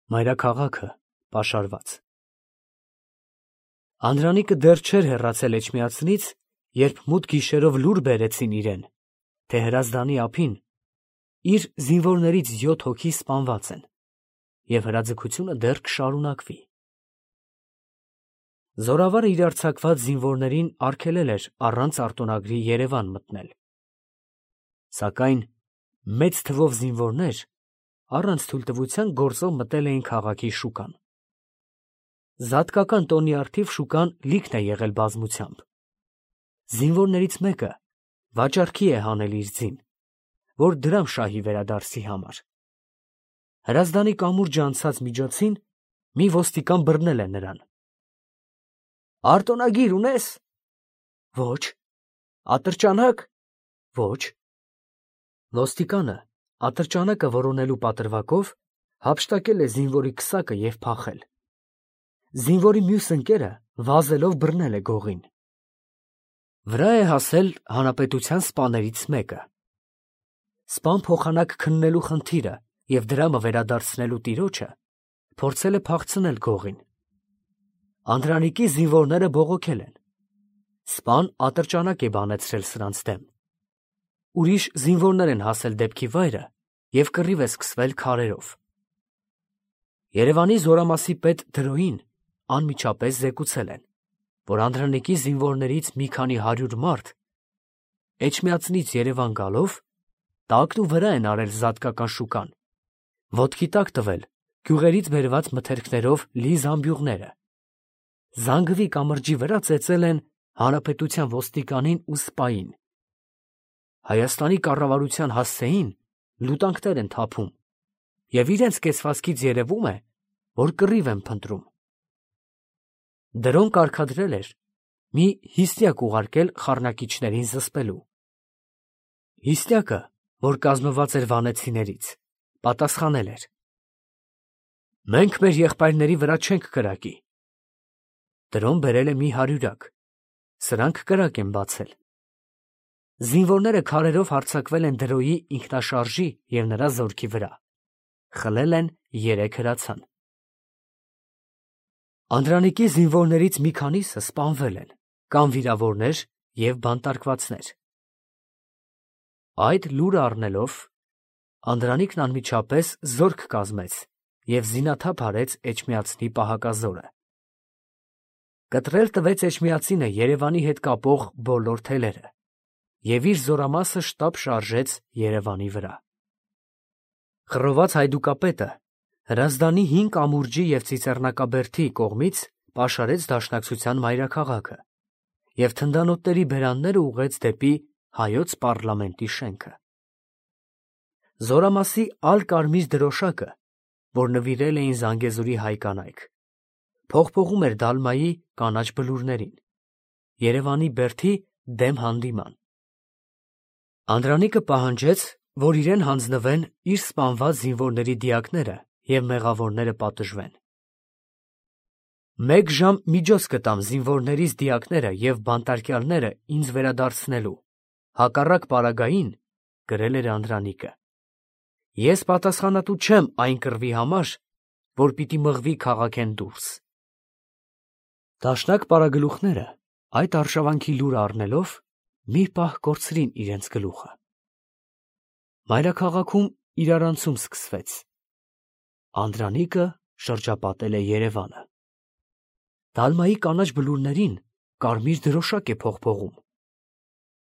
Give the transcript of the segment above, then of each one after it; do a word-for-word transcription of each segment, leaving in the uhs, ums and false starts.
Մայրաքաղաքը պաշարված։ Անդրանիկը դեռ չէր հեռացել Էջմիածնից, երբ մութ գիշերով լուր բերեցին իրեն, թե Հրազդանի ափին իր զինվորներից յոթ հոգի սպանված են, և հրաձգությունը դեռ կշարունակվի։ Զորավարը իր արձակված զինվորներին արգելել էր առանց արտոնագրի Երևան մտնել։ Սակայն մեծ թվով զինվորներ առանց թույլտվության գործով մտել էին քաղաքի շուկան։ Զատկական տոնի առթիվ շուկան լիքն է եղել բազմությամբ։ Զինվորներից մեկը վաճառքի է հանել իր ձին, որ դրամ շահի վերադարձի համար։ Հրազդանի կամուրջը անցած միջոցին մի ոստիկան բռնել է նրան։ «Արտոնագիր ունե՞ս»։ «Ոչ»։ «Ատրճանակ»։ «Ոչ»։ Ոստիկանը ատրճանակը որոնելու պատրվակով հափշտակել է զինվորի քսակը և փախել։ Զինվորի մյուս ընկերը վազելով բռնել է գողին։ Վրա է հասել հանրապետության սպաներից մեկը։ Սպան փոխանակ քննելու խնդիրը և դրամը վերադարձնելու տիրոջը փորձել է փախցնել գողին։ Անդրանիկի զինվորները բողոքել են։ Սպան ատրճանակ է բանեցրել սրանց դեմ։ Ուրիշ զինվորներ են հասել դեպքի վայրը և կռիվ է սկսվել քարերով։ Երևանի զորամասի պետ Դրոյին անմիջապես զեկուցել են, որ Անդրանիկի զինվորներից մի քանի հարյուր մարդ Էջմիածնից Երևան գալով տակն ու վրա են արել Զատկական շուկան, ոտքի տակ տվել գյուղերից բերված մթերքներով լի զամբյուղները, Զանգվի կամրջի վրա ծեծել են հանրապետության ոստիկանին ու սպային։ Հայաստանի կառավարության հասցեին լուտանքներ են թափում և իրենց կեցվածքից երևում է, որ կռիվ են փնտրում։ Դրոն կարգադրել էր մի հիստյակ ուղարկել խառնակիչներին զսպելու։ Հիստյակը, որ կազմված էր վանեցիներից, պատասխանել էր. «Մենք մեր եղբայրների վրա չենք կրակի»։ Դրոն բերել է մի հարյուրյակ, սրանք կրակ են բացել։ Զինվորները քարերով հարձակվել են Դրոյի ինքնաշարժի և նրա զորքի վրա, խլել են երեք հրացան։ Անդրանիկի զինվորներից մի քանիսը սպանվել են, կամ վիրավորներ և բանտարկվածներ։ Այդ լուրը առնելով, Անդրանիկն անմիջապես զորք կազմեց և զինաթափ արեց Էջմիածնի պահակազորը։ Կտրել տվեց Էջմիածինը Երևանի հետ կապող բոլոր թելերը և իր զորամասը շտապ շարժեց Երևանի վրա։ Խռոված հայդուկապետը Հրազդանի հին կամուրջի և Ծիծեռնակաբերդի կողմից պաշարեց Դաշնակցության մայրաքաղաքը և թնդանոթների բերանները ուղղեց դեպի հայոց պառլամենտի շենքը։ Զորամասի ալ֊Կարմիր դրոշակը, որ նվիրել էին Զանգեզուրի հայ կանայք, փողփողում էր Դալմայի կանաչ բլուրներին, Երևանի բերդի դեմ հանդիման։ Անդրանիկը պահանջեց, որ իրեն հանձնվեն իր սպանված զինվորների դիակները և մեղավորները պատժվեն։ Մեկ ժամ միջոց կտամ զինվորներիս դիակները և բանտարկյալները ինձ վերադարձնելու, հակառակ պարագային, գրել էր Անդրանիկը, ես պատասխանատու չեմ այն կռվի համար, որ պիտի մղվի քաղաքեն դուրս։ Դաշնակ պարագլուխները այդ արշավանքի լուրը առնելով մի պահ կորցրին իրենց գլուխը։ Մայրաքաղաքում իրարանցում սկսվեց։ Անդրանիկը շրջապատել է Երևանը։ Դալմայի կանաչ բլուրներին կարմիր դրոշակ է փողփողում։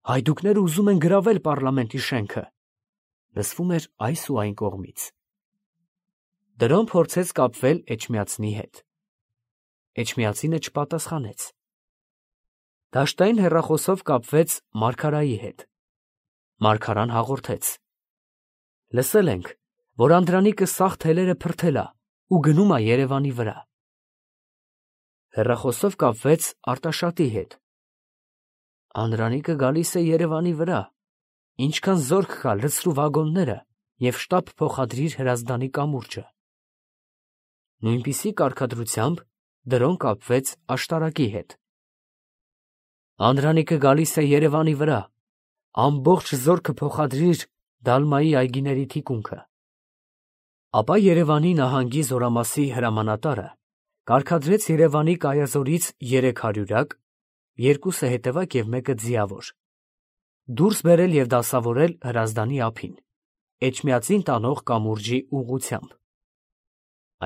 Հայդուկները ուզում են գրավել պառլամենտի շենքը, լսվում էր այս ու այն կողմից։ Դրոն փորձեց կապվել Էջմիածնի հետ։ Էջմիածինը չպատասխանեց։ Դաշտային հեռախոսով կապվեց մարգարայի հետ։ Մարգարան հաղորդեց. «Լսել ենք, որ Անդրանիկը սաղ թելերը փրթել ա ու գնում ա Երևանի վրա»։ Հեռախոսով կապվեց Արտաշատի հետ։ «Անդրանիկը գալիս է Երևանի վրա, ինչքան զորք կա լցրու վագոնները և շտապ փոխադրիր Հրազդանի կամուրջը»։ Նույնպիսի կարգադրությամբ դրոն կապվեց Աշտարակի հետ։ «Անդրանիկը գալիս է Երևանի վրա, ամբողջ զորքը փոխադրիր Դալմայի այգիների թիկունքը»։ Ապա Երևանի նահանգի զորամասի հրամանատարը կարգադրեց Երևանի կայազորից երեք հարյուրակ, երկուսը հետևակ և մեկը ձիավոր, դուրս բերել և դասավորել Հրազդանի ափին, Էջմիածին տանող կամուրջի ուղղությամբ։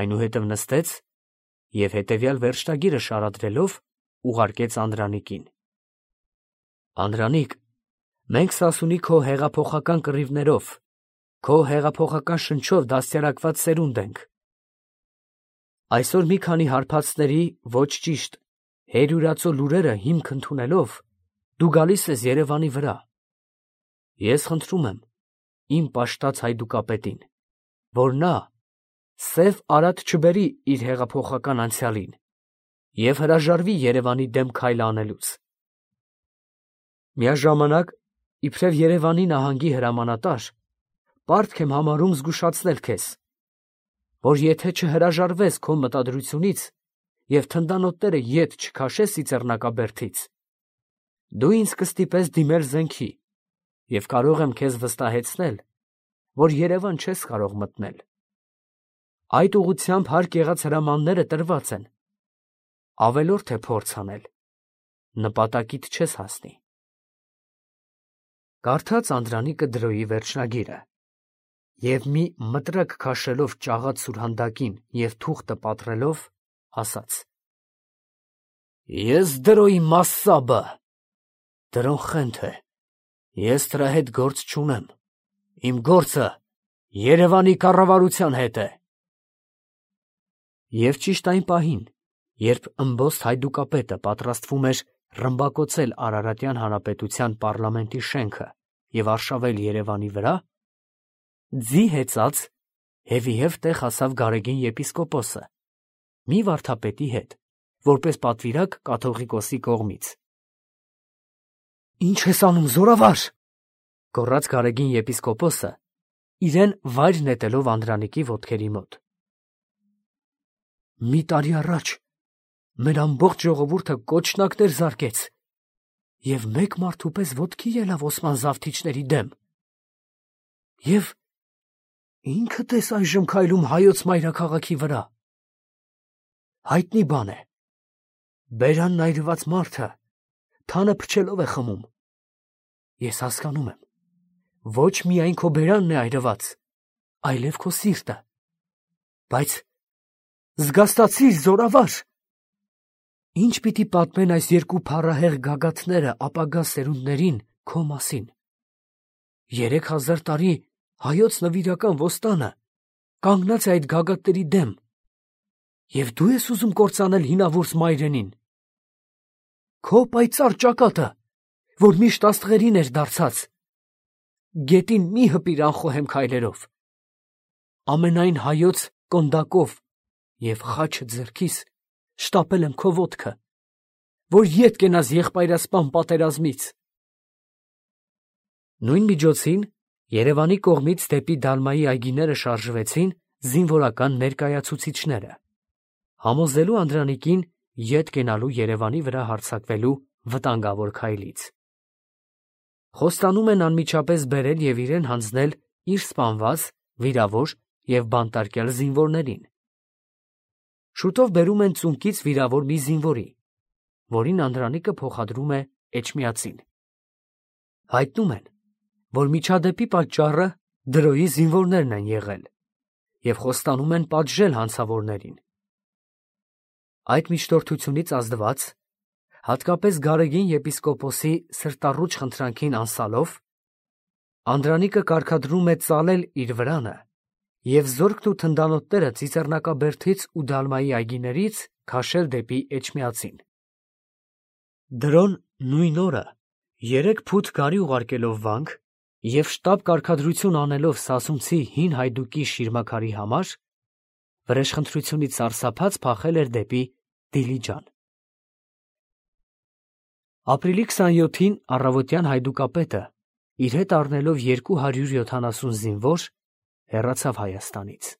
Այնուհետև նստեց և հետևյալ վերջնագիրը շարադրելով ուղարկեց Անդրանիկին. Անդրանիկ, մենք սասունի քո հեղափոխական կռիվներով, քո հեղափոխական շնչով դաստիարակված սերունդ ենք։ Այսօր մի քանի հարբածների ոչ ճիշտ, հերյուրացո լուրերը հիմք ընդունելով, դու գալիս ես Երևանի վրա։ Ես խնդրում եմ իմ պաշտած հայդուկապետին, որ նա սև արատ չբերի իր հեղափոխական անցյալին և հրաժարվի Երևանի դեմ քայլ անելուց։ Միաժամանակ, իբրև Երևանի նահանգի հրամանատար, պարտք եմ համարում զգուշացնել քեզ, որ եթե չհրաժարվես քո մտադրությունից և թնդանոթները ետ չքաշես Ծիծեռնակաբերդից, դու ինձ կստիպես դիմել զենքի և կարող եմ քեզ վստահեցնել, որ Երևան չես կարող մտնել։ Այդ ուղղությամբ հարկ եղած հրամանները տրված են, ավելորդ է փորձ անել, նպատակիդ չես հասնի։ Կարդաց Անդրանիկը դրոյի վերջնագիրը և մի մտրակ քաշելով ճաղած սուրհանդակին և թուղթը պատռելով, ասաց. Ես դրոյի մասսաբը, դրոն խենթ է, ես դրա հետ գործ չունեմ, իմ գործը Երևանի կառավարության հետ է։ Եվ ճիշտ այն պահին, երբ ըմբոստ հայդուկապետը պատրաստվում էր ռմբակոծել Արարատյան հանրապետության պառլամենտի շենքը և արշավել Երևանի վրա, ձի հեծած հետևև տեղ հասավ Գարեգին եպիսկոպոսը, մի վարդապետի հետ, որպես պատվիրակ կաթողիկոսի կողմից։ Ի՞նչ ես անում, զորավար, գոռաց Գարեգին եպիսկոպոսը, իրեն վայր նետելով Անդրանիկի ոտքերի մոտ։ Մի տարի առաջ մեր ամբողջ ժողովուրդը կոչնակներ զարկեց և մեկ մարդու պես ոտքի ելավ Օսման զավթիչների դեմ։ Եվ ինքդ ես այժմ քայլում հայոց մայրաքաղաքի վրա։ Հայտնի բան է, բերանն այրված մարդը թանը փչելով է խմում։ Ես հասկանում եմ, ոչ միայն քո բերանն է այրված, այլև քո սիրտը, բայց զգաստացի՛ր, զորավար, ինչ պիտի պատմեն այս երկու փառահեղ գագաթները ապագա սերունդներին քո մասին։ Երեք հազար տարի հայոց նվիրական ոստանը կանգնած է այդ գագաթների դեմ, և դու ես ուզում կործանել հինավուրց մայրենին։ Քո պայծառ ճակատը, որ միշտ աստղերին էր դարձած, գետին մի հպիր անխոհեմ քայլերով։ Ամենայն հայոց կոնդակով և խաչը ձեռքիս շտապել եմ քո ոտքը, որ ետ կենաս եղբայրասպան պատերազմից։ Նույն միջոցին Երևանի կողմից դեպի Դալմայի այգիները շարժվեցին զինվորական ներկայացուցիչները, համոզելու Անդրանիկին ետ կենալու Երևանի վրա հարձակվելու վտանգավոր քայլից։ Խոստանում են անմիջապես բերել և իրեն հանձնել իր սպանված, վիրավոր և բանտարկյալ զինվորներին։ Շուտով բերում են ծունկից վիրավոր մի զինվորի, որին Անդրանիկը փոխադրում է Էջմիածին։ Հայտնում են, որ միջադեպի պատճառը դրոյի զինվորներն են եղել և խոստանում են պատժել հանցավորներին։ Այդ միջնորդությունից ազդված, հատկապես Գարեգին եպիսկոպոսի սրտառուչ խնդրանքին անսալով, Անդրանիկը կարգադրում է ծալել իր վրանը և զորքն ու թնդանոթները Ծիծեռնակաբերդից ու Դալմայի այգիներից քաշել դեպի Էջմիածին։ Դրոն նույն օրը երեք փութ գարի ուղարկելով վանք և շտապ կարգադրություն անելով սասունցի հին հայդուկի շիրմաքարի համար, վրեժխնդրությունից սարսափած փախել էր դեպի Դիլիջան։ Ապրիլի քսանյոթին առավոտյան հայդուկապետը, իր հետ առնելով երկու հարյուր յոթանասուն զինվոր, հեռացավ Հայաստանից։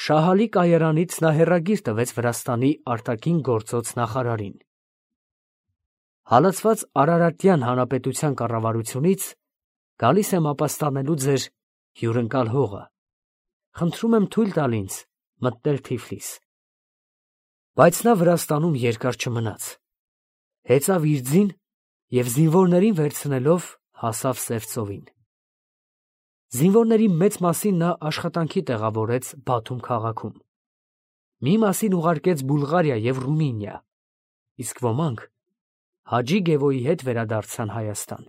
Շահալի կայարանից նա հեռագիր տվեց Վրաստանի արտաքին գործոց նախարարին. Հալածված Արարատյան հանրապետության կառավարությունից գալիս եմ ապաստանելու ձեր հյուրընկալ հողը խնդրում եմ թույլ տալ ինձ մտնել Թիֆլիս։ Բայց նա Վրաստանում երկար չմնաց, հեծավ իր ձին և զինվորներին վերցնելով հասավ Սևծովին։ Զինվորների մեծ մասին նա աշխատանքի տեղավորեց Բաթում քաղաքում, մի մասին ուղարկեց Բուլղարիա և Ռումինիա, իսկ ոմանք Հաջի Գևոյի հետ վերադարձան Հայաստան։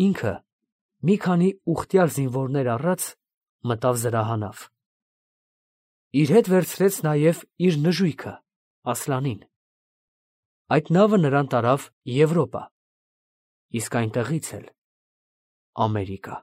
Ինքը մի քանի ուխտյալ զինվորներ առած մտավ Զրահանավ։ Իր հետ վերցրեց նաև իր նժույգը Ասլանին։ Այդ նավը նրան տարավ Եվրոպա, իսկ այնտեղից էլ Ամերիկա։